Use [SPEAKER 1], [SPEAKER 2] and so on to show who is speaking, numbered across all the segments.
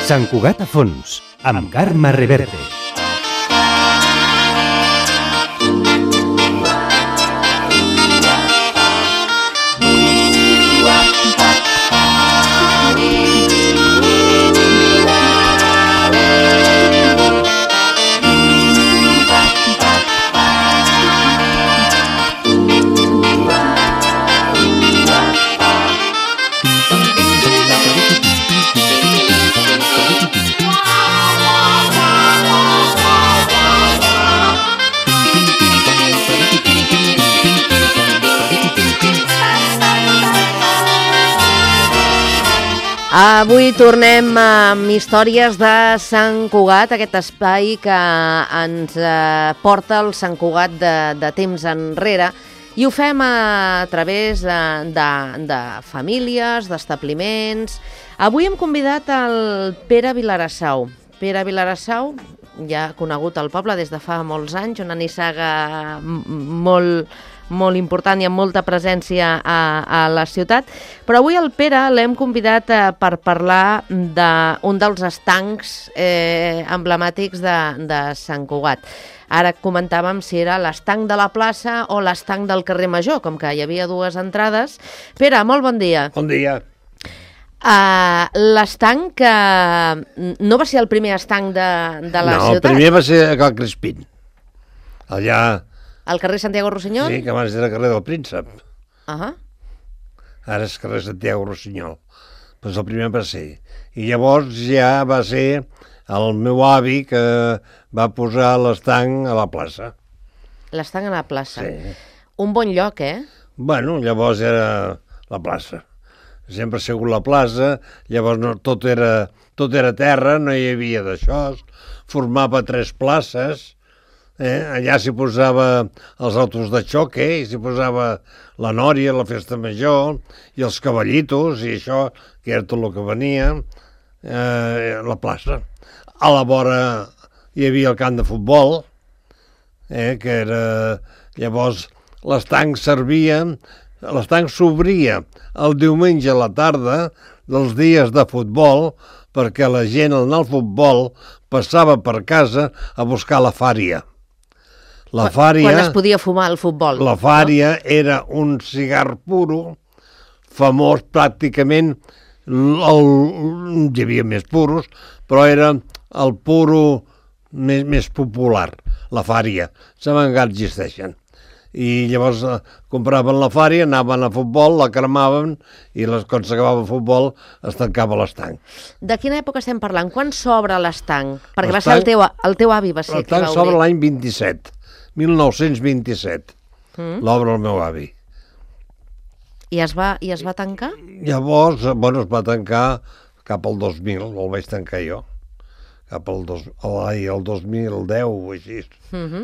[SPEAKER 1] Sant Cugat a fons, amb Carme Reverte.
[SPEAKER 2] Avui tornem amb històries de Sant Cugat, aquest espai que ens porta el Sant Cugat de temps enrere, i ho fem a través de famílies, d'establiments. Avui hem convidat el Pere Vilarassau. Pere Vilarassau, ja conegut al poble des de fa molts anys, una nissaga molt important i amb molta presència a la ciutat, però avui el Pere l'hem convidat per parlar d'un dels estancs emblemàtics de Sant Cugat. Ara comentàvem si era l'estanc de la plaça o l'estanc del carrer Major, com que hi havia dues entrades. Pere, molt bon dia.
[SPEAKER 3] Bon dia.
[SPEAKER 2] L'estanc que no va ser el primer estanc de la ciutat?
[SPEAKER 3] No, el primer va ser a Cal Crispín, allà...
[SPEAKER 2] Al carrer Santiago Rossinyol?
[SPEAKER 3] Sí, que abans era carrer del Príncep.
[SPEAKER 2] Ara
[SPEAKER 3] és carrer Santiago Rossinyol. Doncs el primer va ser. I llavors ja va ser el meu avi que va posar l'estanc a la plaça.
[SPEAKER 2] L'estanc a la plaça.
[SPEAKER 3] Sí.
[SPEAKER 2] Un bon lloc,
[SPEAKER 3] Bueno, llavors era la plaça. Sempre ha sigut la plaça, llavors tot era terra, no hi havia d'això, formava 3 places. Allà s'hi posava els autos de xoque, s'hi posava la nòria, la festa major, i els cavallitos, i això, que era tot el que venia, la plaça. A la vora hi havia el camp de futbol, que era... Llavors, l'estanc s'obria el diumenge a la tarda dels dies de futbol, perquè la gent al anar al futbol passava per casa a buscar la fària.
[SPEAKER 2] Quan es podia fumar al futbol.
[SPEAKER 3] La fària era un cigar puro, famós pràcticament, hi havia més puros, però era el puro més popular, la fària. Saben que existeixen. I llavors compraven la fària, anaven a futbol, la cremaven i quan s'acabava el futbol es tancava l'estanc.
[SPEAKER 2] De quina època estem parlant? Quan s'obre l'estanc? Perquè va ser el teu avi va ser qui va obrir.
[SPEAKER 3] L'estanc s'obre l'any 1927, l'obre el meu avi.
[SPEAKER 2] I es va tancar?
[SPEAKER 3] Llavors, es va tancar cap al 2000, el vaig tancar jo. Cap al 2010 o així.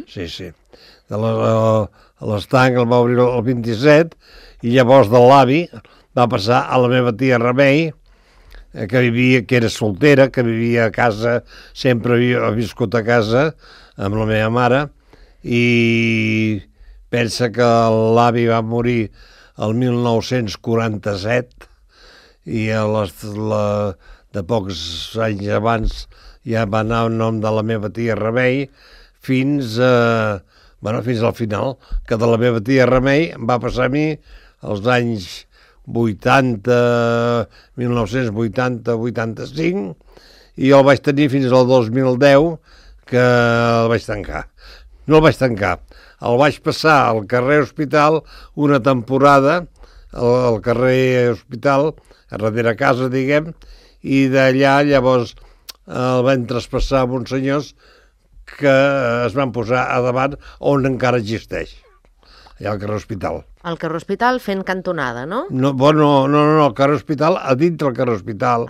[SPEAKER 3] Sí. L'estanc el va obrir el 27 i llavors de l'avi va passar a la meva tia Remei, que era soltera, que vivia a casa, sempre havia viscut a casa amb la meva mare, i pensa que l'avi va morir el 1947 i de pocs anys abans ja va anar el nom de la meva tia Remei fins al final, que de la meva tia Remei va passar a mi els anys 1980-85 i el vaig tenir fins al 2010 que el vaig tancar. No el vaig tancar, el vaig passar al carrer Hospital una temporada, al carrer Hospital, a darrere casa, diguem, i d'allà llavors el van traspassar a uns senyors que es van posar a davant on encara existeix, allà al carrer Hospital.
[SPEAKER 2] Al carrer Hospital fent cantonada, no?
[SPEAKER 3] No, al carrer Hospital, a dintre del carrer Hospital,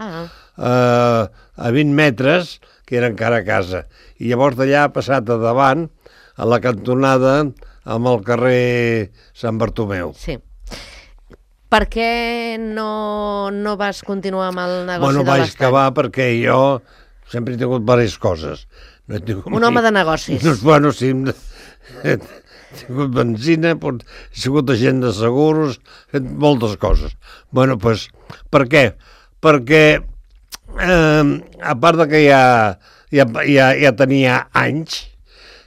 [SPEAKER 3] a 20 metres, que era encara a casa. I llavors d'allà ha passat a davant, a la cantonada, amb el carrer Sant Bartomeu.
[SPEAKER 2] Sí. Per què no vas continuar amb el negoci de l'estanc?
[SPEAKER 3] Vaig acabar perquè jo sempre he tingut diverses coses.
[SPEAKER 2] Un home de negocis.
[SPEAKER 3] Sí, he tingut benzina, he sigut agent de seguros, he fet moltes coses. Per què? Perquè a part de que ja tenia anys,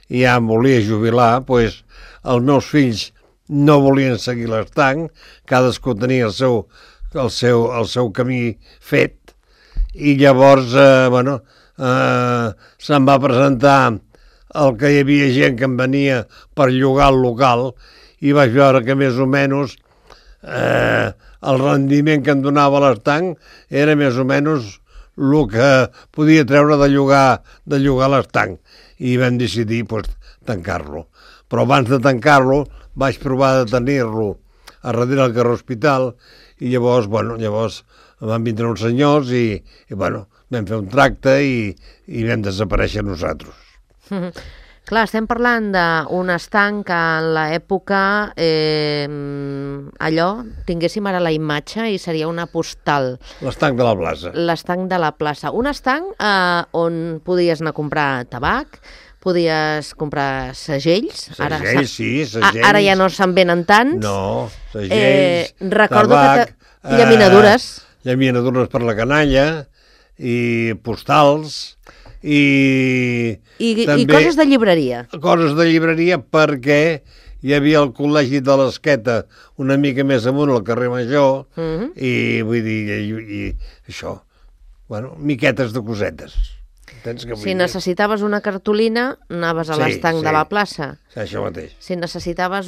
[SPEAKER 3] i ja em volia jubilar, doncs els meus fills no volien seguir l'estanc, cadascú tenia el seu camí fet, i llavors, se'm va presentar el que hi havia gent que em venia per llogar el local, i vaig veure que més o menys el rendiment que em donava l'estanc era més o menys el que podia treure de llogar l'estanc, i vam decidir tancar-lo. Però abans de tancar-lo vaig provar de tenir-lo a darrere del carrer Hospital, i llavors van vindre uns senyors i vam fer un tracte i vam desaparèixer nosaltres.
[SPEAKER 2] Clar, estem parlant d'un estanc que en l'època allò, tinguéssim ara la imatge i seria una postal.
[SPEAKER 3] L'estanc de la plaça.
[SPEAKER 2] L'estanc de la plaça. Un estanc on podies anar a comprar tabac, podies comprar segells.
[SPEAKER 3] Segells, sí, segells.
[SPEAKER 2] Ara ja no se'n venen tants.
[SPEAKER 3] No, segells,
[SPEAKER 2] recordo
[SPEAKER 3] tabac,
[SPEAKER 2] llaminadures.
[SPEAKER 3] Llaminadures per la canalla, i postals, i
[SPEAKER 2] també coses de llibreria.
[SPEAKER 3] Coses de llibreria, perquè hi havia el col·legi de l'Esqueta una mica més amunt al carrer Major, i vull dir, això, miquetes de cosetes.
[SPEAKER 2] Si necessitaves una cartolina, anaves a l'estanc de la plaça.
[SPEAKER 3] Sí, això mateix.
[SPEAKER 2] Si necessitaves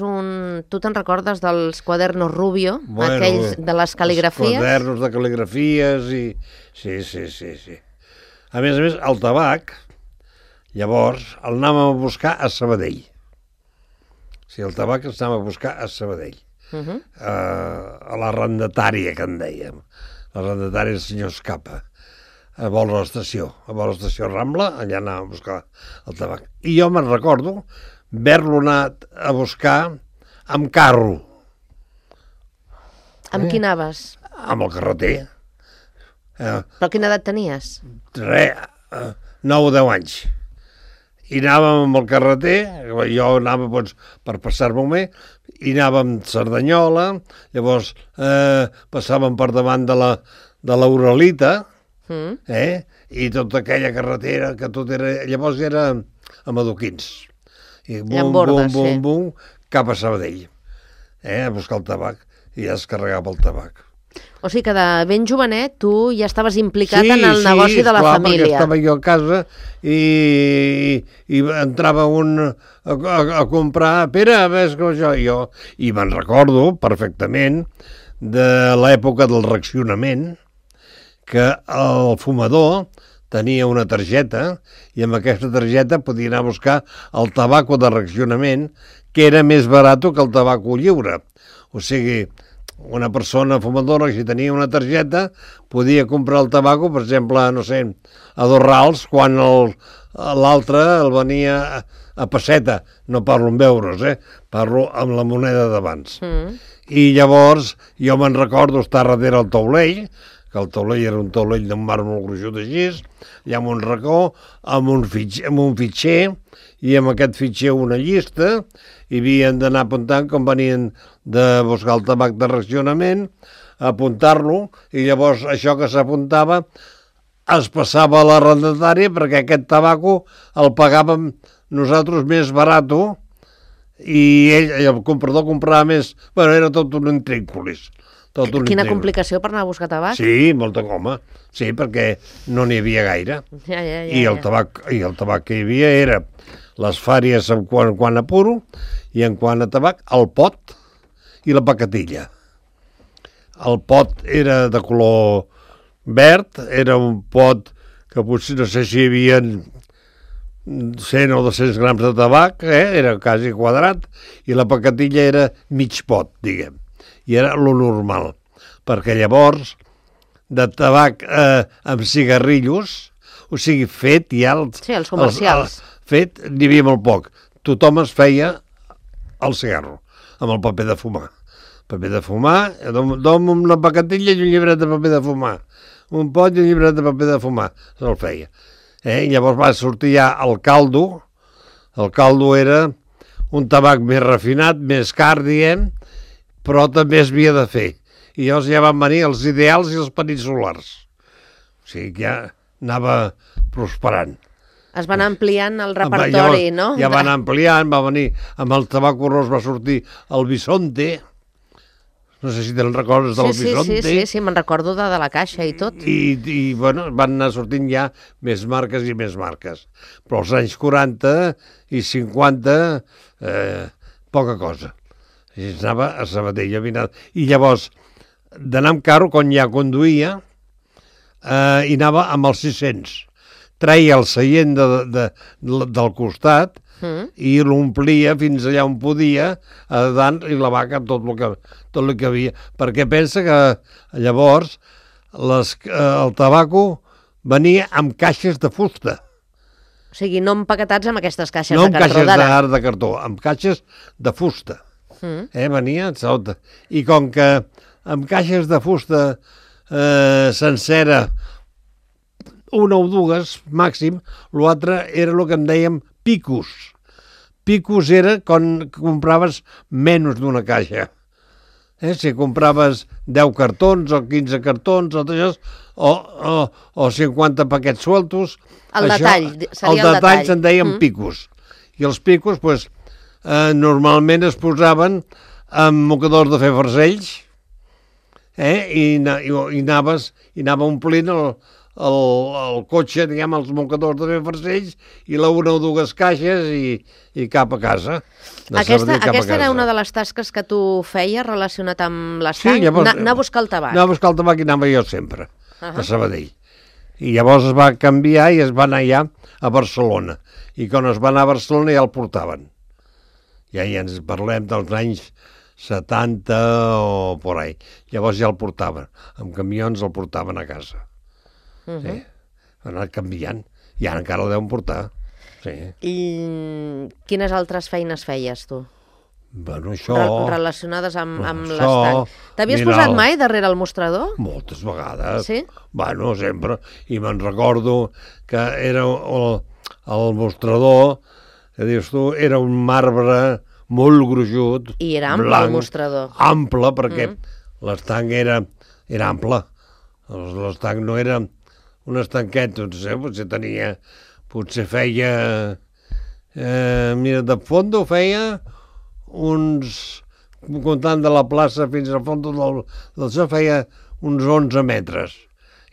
[SPEAKER 2] Tu te'n recordes dels quadernos Rubio, aquells de les cal·ligrafies?
[SPEAKER 3] Els quadernos de cal·ligrafies, i... Sí. A més, el tabac, llavors, el anàvem a buscar a Sabadell. Sí, el tabac el anàvem a buscar a Sabadell. A l'arrendatària, que en dèiem. L'arrendatària del senyor Escapa. A vora l'estació Rambla, allà anàvem a buscar el tabac. I jo me'n recordo haver-lo anat a buscar amb carro.
[SPEAKER 2] Amb qui anaves?
[SPEAKER 3] Amb el carreter.
[SPEAKER 2] Però quina edat tenies?
[SPEAKER 3] 9 o 10 anys. I anàvem amb el carreter, jo anava per passar-m'ho bé, i anàvem a Cerdanyola, llavors passàvem per davant de l'Uralita, i tota aquella carretera que tot era... Llavors era a Madoquins. I bum, cap a Sabadell. A buscar el tabac, i ja es carregava el tabac.
[SPEAKER 2] O sigui que de ben jovenet tu ja estaves implicat en el negoci de la família.
[SPEAKER 3] Sí, estava jo a casa i entrava un a comprar... Pere, ves com jo. I me'n recordo perfectament de l'època del racionament, que el fumador tenia una targeta i amb aquesta targeta podia anar a buscar el tabaco de racionament, que era més barat que el tabaco lliure. O sigui, una persona fumadora, si tenia una targeta, podia comprar el tabaco, per exemple, no sé, a 2 rals, quan l'altre el venia a pesseta. No parlo en euros, parlo amb la moneda d'abans. I llavors jo me'n recordo estar darrere el taulell, que el taulell era un taulell d'un màrmol gruixut així, allà amb un racó, amb un fitxer, i amb aquest fitxer una llista, i havien d'anar apuntant com venien de buscar el tabac de racionament, apuntar-lo, i llavors això que s'apuntava es passava a l'arrendatària, perquè aquest tabaco el pagàvem nosaltres més barat, i el comprador comprava més... era tot un intrínculis.
[SPEAKER 2] Quina complicació per anar a buscar tabac?
[SPEAKER 3] Sí, molta coma. Sí, perquè no n'hi havia gaire. I el tabac que hi havia era les fàries en quant a puro, i en quant a tabac, el pot i la pacatilla. El pot era de color verd, era un pot que potser no sé si hi havia 100 o 200 grams de tabac, era quasi quadrat, i la pacatilla era mig pot, diguem. I era lo normal, perquè llavors de tabac amb cigarrillos, o sigui, fet ja...
[SPEAKER 2] Sí, els comercials.
[SPEAKER 3] Fet, n'hi havia molt poc. Tothom es feia el cigarro, amb el paper de fumar. Paper de fumar, dom una pacatilla i un llibret de paper de fumar. Un pot i un llibret de paper de fumar. Se'l feia. I llavors va sortir ja el caldo. El caldo era un tabac més refinat, més car, diguem, però també es havia de fer. I llavors ja van venir els ideals i els peninsulars. O sigui que ja anava prosperant.
[SPEAKER 2] Es van ampliant el repertori,
[SPEAKER 3] Llavors,
[SPEAKER 2] no?
[SPEAKER 3] Ja van ampliant, va venir, amb el tabaco ros va sortir el Bisonte, no sé si te'n recordes del Bisonte.
[SPEAKER 2] Sí, me'n recordo de la caixa i tot.
[SPEAKER 3] I bueno, van anar sortint ja més marques i més marques. Però als anys 40 i 50, poca cosa. I anava a Sabadell. I llavors, d'anar amb carro, quan ja conduïa, i anava amb els 600. Treia el seient del costat i l'omplia fins allà on podia, a dalt, i la vaca amb tot el que havia. Perquè pensa que llavors el tabaco venia amb caixes de fusta.
[SPEAKER 2] O sigui, no empaquetats amb aquestes caixes
[SPEAKER 3] no
[SPEAKER 2] de cartró d'ara.
[SPEAKER 3] No amb caixes de cartó, amb caixes de fusta. Venia sota. I com que amb caixes de fusta sencera, una o dues, màxim, l'altre era el que en dèiem picos. Picos era quan compraves menys d'una caixa. Si compraves 10 cartons o 15 cartons o 50 paquets sueltos,
[SPEAKER 2] el detall, seria
[SPEAKER 3] el detall se'n deien picos. I els picos, pues, normalment es posaven amb mocadors de fer farcells, i anava omplint el cotxe, diguem, els mocadors de fer farcells i una o dues caixes i cap a casa.
[SPEAKER 2] Aquesta era una de les tasques que tu feies relacionat amb l'estanc? Anar a buscar el tabac.
[SPEAKER 3] Anar a buscar el tabac i anava jo sempre, a Sabadell. I llavors es va canviar i es va anar ja a Barcelona. I quan es va anar a Barcelona ja el portaven. Ja ens parlem dels anys 70 o por ahí. Llavors ja el portaven. Amb camions el portaven a casa. Sí, ha anat canviant. I ara encara el deuen portar. Sí.
[SPEAKER 2] I quines altres feines feies, tu?
[SPEAKER 3] Bueno, això...
[SPEAKER 2] Relacionades amb l'estanc. T'havies posat mai darrere el mostrador?
[SPEAKER 3] Moltes vegades.
[SPEAKER 2] Sí?
[SPEAKER 3] Bueno, sempre. I me'n recordo que era el mostrador, que dius tu, era un marbre molt gruixut.
[SPEAKER 2] I era ample, blanc, el mostrador.
[SPEAKER 3] Ample, perquè l'estanc era ample. L'estanc no era un estanquet, potser feia, mira, de fondo feia uns, comptant de la plaça fins al fons del so, feia uns 11 metres.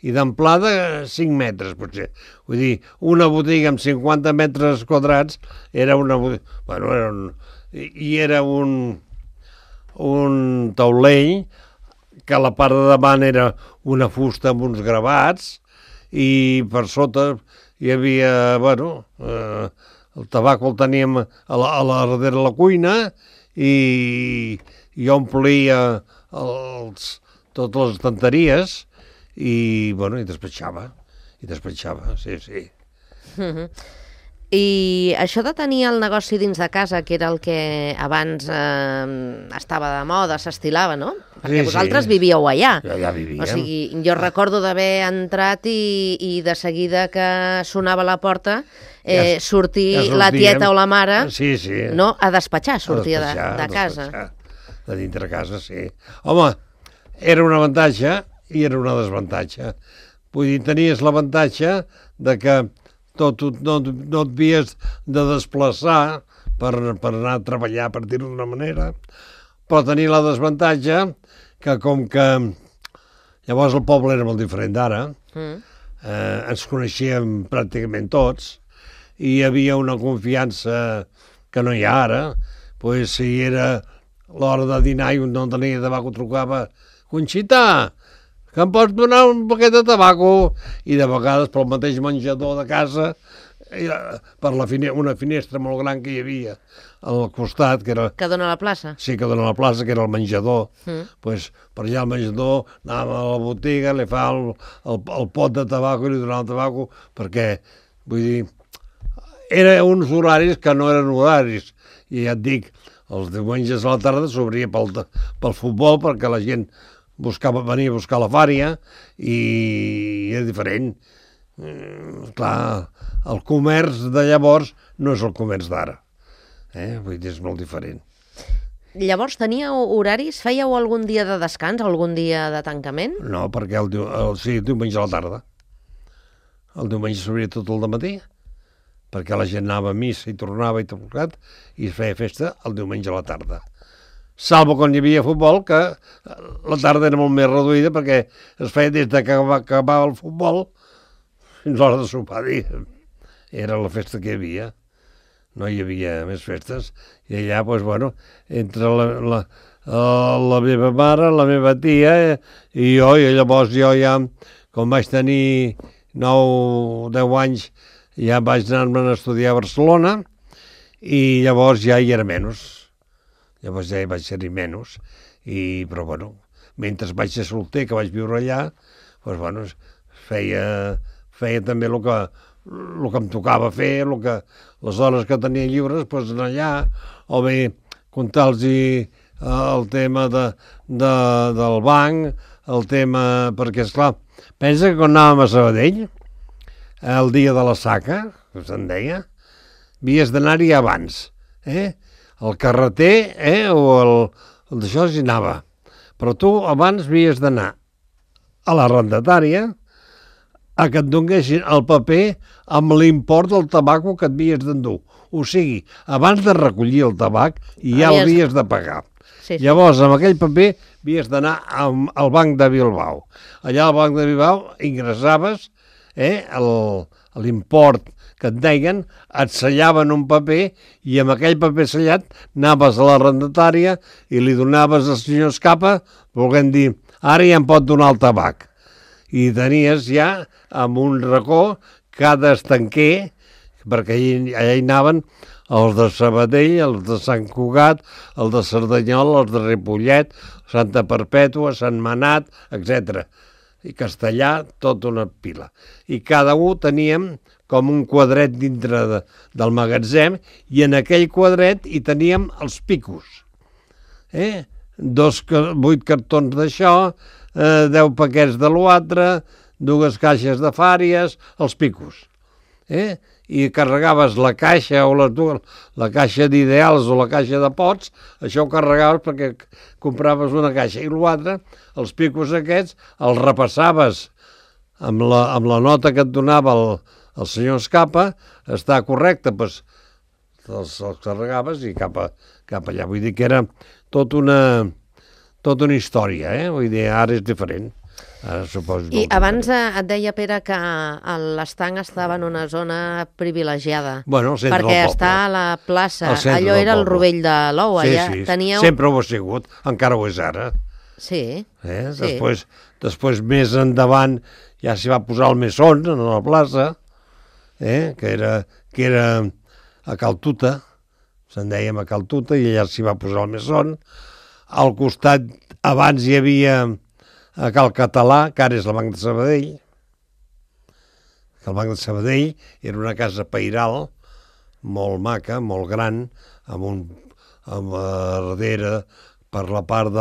[SPEAKER 3] I d'amplada 5 metres, potser. Vull dir, una botiga amb 50 metres quadrats era una botiga... Bueno, era un taulell que a la part de davant era una fusta amb uns gravats i per sota hi havia, bueno, el tabac el teníem a darrere de la cuina i omplia totes les estanteries i, bueno, i despatxava, sí.
[SPEAKER 2] I això de tenir el negoci dins de casa, que era el que abans estava de moda, s'estilava, no? Perquè vosaltres vivíeu allà.
[SPEAKER 3] Ja vivíem.
[SPEAKER 2] O sigui, jo recordo d'haver entrat i de seguida que sonava la porta sortir la tieta o la mare no, a despatxar, sortia de casa.
[SPEAKER 3] De dintre casa, sí. Home, era un avantatge i era una desavantatge. Vull dir, tenies l'avantatge de que no et havies de desplaçar per anar a treballar, per dir-ho d'una manera, però tenia la desavantatge que com que llavors el poble era molt diferent d'ara, ens coneixíem pràcticament tots i hi havia una confiança que no hi ha ara, doncs si era l'hora de dinar i un no tenia tabac ho trucava, Conxita, que em pots donar un paquet de tabaco? I de vegades pel mateix menjador de casa, per una finestra molt gran que hi havia al costat, que era...
[SPEAKER 2] Que dona a la plaça?
[SPEAKER 3] Sí, que dona a la plaça, que era el menjador. Pues, per allà al menjador anàvem a la botiga, li fa el pot de tabaco i li donava el tabaco, perquè, vull dir, eren uns horaris que no eren horaris. I ja et dic, els diumenges a la tarda s'obria pel futbol, perquè la gent venia a buscar la fària i era diferent. Clar, el comerç de llavors no és el comerç d'ara. Vull dir, és molt diferent.
[SPEAKER 2] Llavors teníeu horaris? Fèieu algun dia de descans, algun dia de tancament?
[SPEAKER 3] No, perquè sí, diumenge a la tarda. el diumenge s'obria tot el dematí, perquè la gent anava a missa i tornava i es feia festa el diumenge a la tarda. Salvo quan hi havia futbol, que la tarda era molt més reduïda perquè es feia des que acabava el futbol fins a l'hora de sopar. Era la festa que hi havia. No hi havia més festes. I allà, doncs, bueno, entre la meva mare, la meva tia i jo, i llavors jo ja, quan vaig tenir 9 o 10 anys, ja vaig anar-me'n a estudiar a Barcelona i llavors ja hi era menys. Llavors ja hi vaig ser-hi menys. Però, bueno, mentre vaig ser solter, que vaig viure allà, doncs, bueno, feia també el que em tocava fer, les hores que tenia lliures, doncs anar allà, o bé comptar-los el tema del banc, el tema... Perquè, esclar, pensa que quan anàvem a Sabadell, el dia de la saca, que se'n deia, havies d'anar-hi abans, el carreter o el d'això s'hi anava. Però tu abans havies d'anar a l'arrendatària a que et donguessin el paper amb l'import del tabaco que et havies d'endur. O sigui, abans de recollir el tabac ja l'havies de pagar. Sí. Llavors, amb aquell paper havies d'anar al Banc de Bilbao. Allà al Banc de Bilbao ingressaves l'import que et deien, et sellaven un paper i amb aquell paper sellat anaves a l'arrendatària i li donaves al senyor Escapa, volent dir, ara ja em pot donar el tabac. I tenies ja amb un racó cada estanquer, perquè allà hi anaven els de Sabadell, els de Sant Cugat, els de Cerdanyola, els de Ripollet, Santa Perpètua, Sant Manat, etc. I Castellà, tota una pila. I cada un teníem com un quadret dintre del magatzem i en aquell quadret hi teníem els picos. 8 cartons d'això, 10 paquets de l'altre, 2 caixes de fàries, els picos. I carregaves la caixa o la caixa d'ideals o la caixa de pots, això ho carregaves perquè compraves una caixa. I l'altre, els picos aquests, els repassaves amb la nota que et donava el senyor Escapa, està correcte, doncs els carregaves i cap allà. Vull dir que era tota una història, vull dir, ara és diferent.
[SPEAKER 2] I abans et deia, Pere, que l'estanc estava en una zona privilegiada, perquè està a la plaça, allò era el Rovell de l'Ou.
[SPEAKER 3] Sí, sempre ho ha sigut, encara ho és ara.
[SPEAKER 2] Sí.
[SPEAKER 3] Després, més endavant, ja s'hi va posar el Mesón, a la plaça, que era a Cal Tuta, se'n dèiem a Cal Tuta, i allà s'hi va posar el Mesón. Al costat, abans hi havia a Cal Català, que ara és el Banc de Sabadell. El Banc de Sabadell era una casa pairal molt maca, molt gran, amb darrere, per la part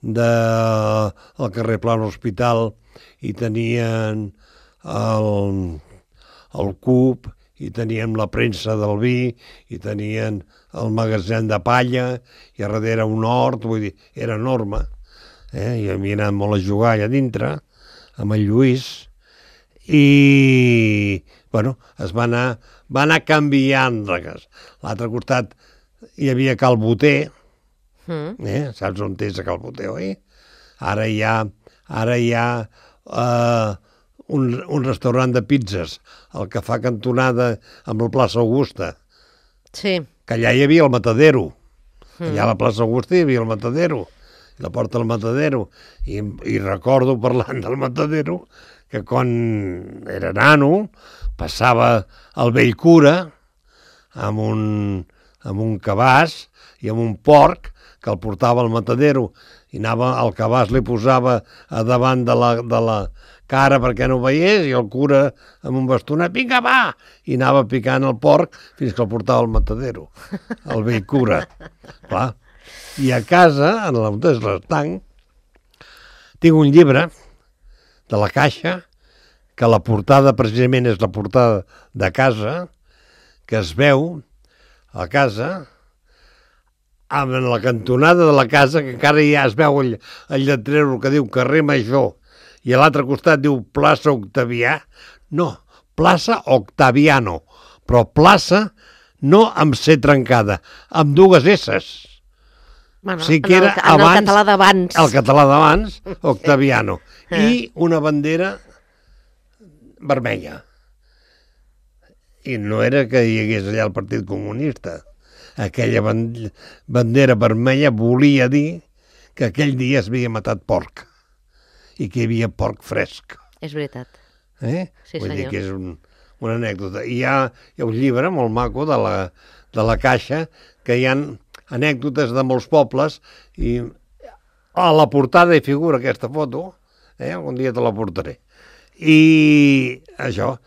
[SPEAKER 3] del carrer Plan Hospital, i tenien el CUP, i teníem la premsa del vi, i tenien el magatzem de palla, i a darrere un hort, vull dir, era enorme. I havia anat molt a jugar allà dintre, amb el Lluís, i, bueno, va anar canviant. L'altre costat hi havia Cal Boter, saps on és a Cal Boter, oi? Ara hi ha un restaurant de pizzas, el que fa cantonada amb la plaça Augusta.
[SPEAKER 2] Sí.
[SPEAKER 3] Que allà hi havia el Matadero. Allà a la plaça Augusta hi havia el Matadero. La porta del Matadero. I recordo, parlant del Matadero, que quan era nano passava el vell cura amb un cabàs i amb un porc que el portava al Matadero, i anava, el cabàs li posava a davant de la cara perquè no veiés, i el cura amb un bastonet, vinga, va! I anava picant el porc fins que el portava al Matadero, el vell cura. Clar. I a casa, en l'estanc, tinc un llibre de la Caixa, que la portada precisament és la portada de casa, que es veu a casa, amb la cantonada de la casa, que encara ja es veu el lletrero que diu carrer Major, i a l'altre costat diu plaça Octavià. No, plaça Octaviano, però plaça no amb C trencada, amb dues S's.
[SPEAKER 2] Bueno,
[SPEAKER 3] Sí que era
[SPEAKER 2] en el
[SPEAKER 3] abans,
[SPEAKER 2] català d'abans.
[SPEAKER 3] el català d'abans, Octaviano, i una bandera vermella. I no era que hi hagués allà el Partit Comunista. Aquella bandera vermella volia dir que aquell dia es havia matat porc i que hi havia porc fresc.
[SPEAKER 2] És veritat. Sí,
[SPEAKER 3] Vull dir
[SPEAKER 2] senyor.
[SPEAKER 3] que és una anècdota. I hi ha un llibre molt maco de la Caixa que hi ha anècdotes de molts pobles i a la portada hi figura aquesta foto, algun dia te la portaré. I això, o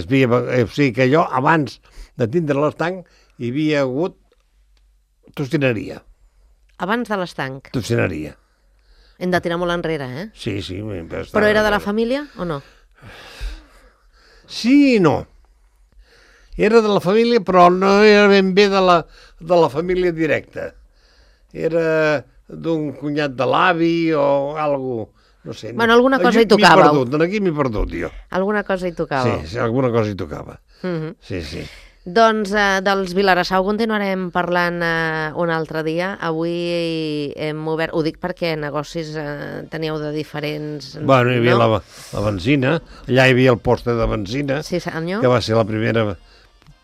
[SPEAKER 3] sigui que allò, abans de tindre l'estanc, hi havia hagut tocineria.
[SPEAKER 2] Abans de l'estanc.
[SPEAKER 3] Tocineria.
[SPEAKER 2] Hem de tirar molt enrere, eh?
[SPEAKER 3] Sí.
[SPEAKER 2] Però era de la família o no?
[SPEAKER 3] Sí i no. Era de la família, però no era ben bé de la família directa. Era d'un cunyat de l'avi o alguna cosa, no sé.
[SPEAKER 2] Bueno, alguna cosa hi tocava.
[SPEAKER 3] Aquí m'he perdut, jo.
[SPEAKER 2] Alguna cosa hi tocava.
[SPEAKER 3] Sí, alguna cosa hi tocava. Sí.
[SPEAKER 2] Doncs dels Vilassau continuarem parlant un altre dia. Avui hem obert, ho dic perquè negocis teníeu de diferents...
[SPEAKER 3] Bueno, hi havia la benzina, allà hi havia el poste de benzina,
[SPEAKER 2] Sí, senyor.
[SPEAKER 3] que va ser la primera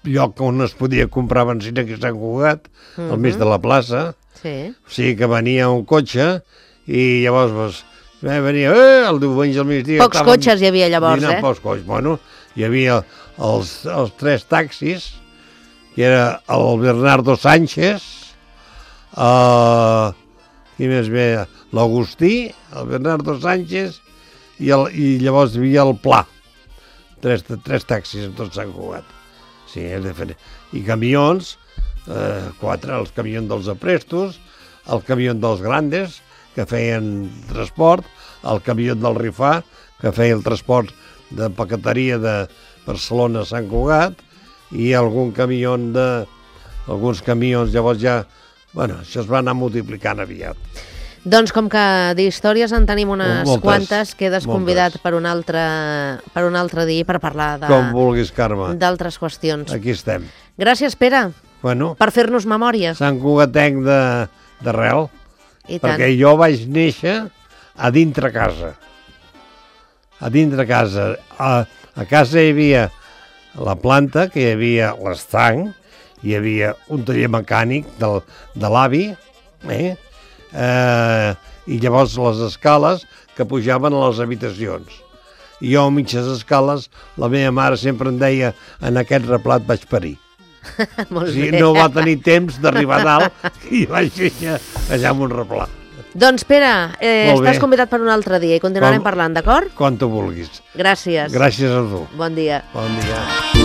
[SPEAKER 3] lloc on es podia comprar benzina aquí a Sant Cugat, al mig de la plaça.
[SPEAKER 2] Sí.
[SPEAKER 3] O sigui que venia un cotxe i llavors venia el diumenge al migdia.
[SPEAKER 2] Pocs cotxes hi havia llavors,
[SPEAKER 3] Pocs cotxes. Bueno, hi havia els 3 taxis, que era el Bernardo Sánchez, qui més ve? L'Agustí, el Bernardo Sánchez i llavors hi havia el Pla. 3 taxis en tot Sant Cugat. Sí, és diferent. I camions, 4, els camions dels aprestos, el camió dels grandes, que feien transport, el camió del Rifà, que feia el transport de paqueteria de Barcelona a Sant Cugat, i alguns camions, llavors ja... Bueno, això es va anar multiplicant aviat.
[SPEAKER 2] Doncs com que d'històries en tenim unes quantes, quedes convidat per un altre dia per parlar
[SPEAKER 3] Com vulguis, Carme.
[SPEAKER 2] d'altres qüestions.
[SPEAKER 3] Aquí estem.
[SPEAKER 2] Gràcies, Pere,
[SPEAKER 3] Bueno,
[SPEAKER 2] per fer-nos memòria.
[SPEAKER 3] Sant Cugatenc d'arrel,
[SPEAKER 2] I tant.
[SPEAKER 3] perquè jo vaig néixer a dintre casa. A dintre casa. A casa hi havia la planta, que hi havia l'estanc, hi havia un taller mecànic de l'avi, i llavors les escales que pujaven a les habitacions. I jo, a mitges escales, la meva mare sempre em deia: en aquest replat vaig parir.
[SPEAKER 2] Molt
[SPEAKER 3] O sigui,
[SPEAKER 2] bé.
[SPEAKER 3] no va tenir temps d'arribar a dalt i vaig néixer allà amb un replà.
[SPEAKER 2] Doncs, Pere,
[SPEAKER 3] Molt bé.
[SPEAKER 2] estàs convidat per un altre dia i continuarem parlant, d'acord?
[SPEAKER 3] Quan tu vulguis.
[SPEAKER 2] Gràcies.
[SPEAKER 3] Gràcies a tu.
[SPEAKER 2] Bon dia.
[SPEAKER 3] Bon dia.